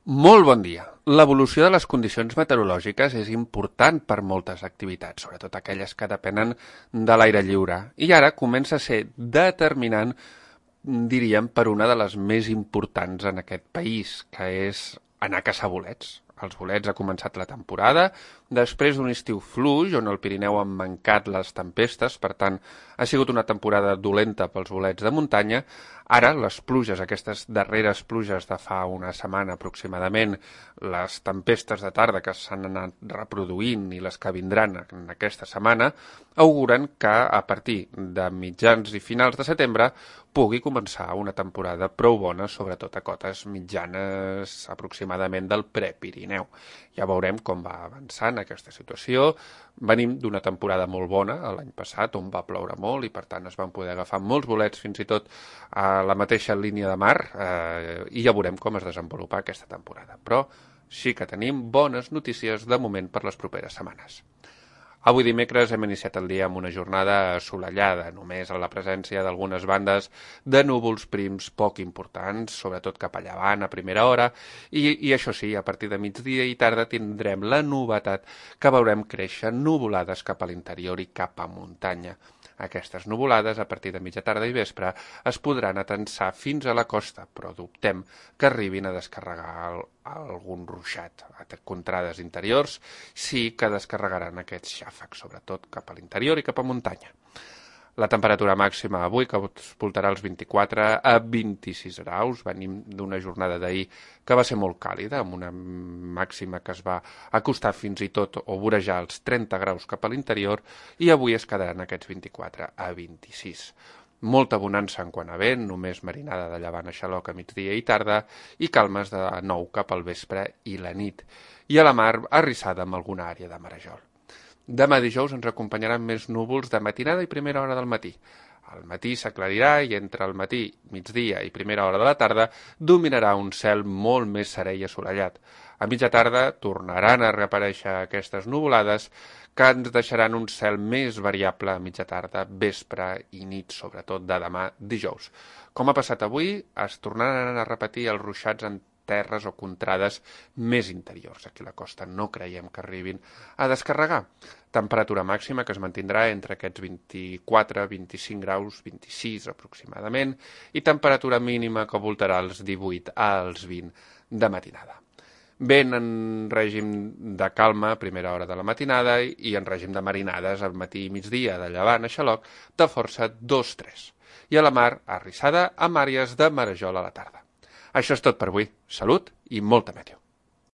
Molt bon dia. L'evolució de les condicions meteorològiques és important per moltes activitats, sobretot aquelles que depenen de l'aire lliure. I ara comença a ser determinant, diríem, per una de les més importants en aquest país, que és anar a caçar bolets. Els bolets ha començat la temporada, després d'un estiu fluix, on el Pirineu han mancat les tempestes, per tant, ha sigut una temporada dolenta pels bolets de muntanya. Ara, les pluges, aquestes darreres pluges de fa una setmana aproximadament, les tempestes de tarda que s'han anat reproduint i les que vindran en aquesta setmana, auguren que a partir de mitjans i finals de setembre pugui començar una temporada prou bona, sobretot a cotes mitjanes aproximadament del Prepirineu. Ja veurem com va avançant aquesta situació. Venim d'una temporada molt bona l'any passat, on va ploure molt i per tant es van poder agafar molts bolets fins i tot a la mateixa línia de mar i ja veurem com es desenvolupa aquesta temporada. Però sí que tenim bones notícies de moment per les properes setmanes. Avui dimecres hem iniciat el dia amb una jornada assolellada, només a la presència d'algunes bandes de núvols prims poc importants, sobretot cap a llevant a primera hora, i això sí, a partir de migdia i tarda tindrem la novetat que veurem créixer nuvolades cap a l'interior i cap a muntanya. Aquestes nuvolades, a partir de mitja tarda i vespre, es podran atensar fins a la costa, però dubtem que arribin a descarregar algun ruixat. A contrades interiors sí que descarregaran aquests xàfecs, sobretot cap a l'interior i cap a muntanya. La temperatura màxima avui que es voltarà als 24 a 26 graus. Venim d'una jornada d'ahir que va ser molt càlida, amb una màxima que es va acostar fins i tot o vorejar els 30 graus cap a l'interior, i avui es quedaran aquests 24 a 26. Molta bonança en quant a vent, només marinada de llevant a xaloc a migdia i tarda, i calmes de nou cap al vespre i la nit. I a la mar, arrissada amb alguna àrea de marejol. Demà dijous ens acompanyaran més núvols de matinada i primera hora del matí. Al matí s'aclarirà i entre el matí, migdia i primera hora de la tarda dominarà un cel molt més serè i assolellat. A mitja tarda tornaran a reaparèixer aquestes nuvolades que ens deixaran un cel més variable a mitja tarda, vespre i nit, sobretot de demà dijous. Com ha passat avui, es tornaran a repetir els ruixats en terres o contrades més interiors. Aquí a la costa no creiem que arribin a descarregar. Temperatura màxima que es mantindrà entre aquests 24, 25 graus, 26 aproximadament, i temperatura mínima que voltarà els 18 als 20 de matinada. Vent en règim de calma a primera hora de la matinada i en règim de marinades al matí i migdia de llevant a xaloc de força 2-3. I a la mar, arrissada amb àrees de marejol a la tarda. Això és tot per avui. Salut i molta meteo.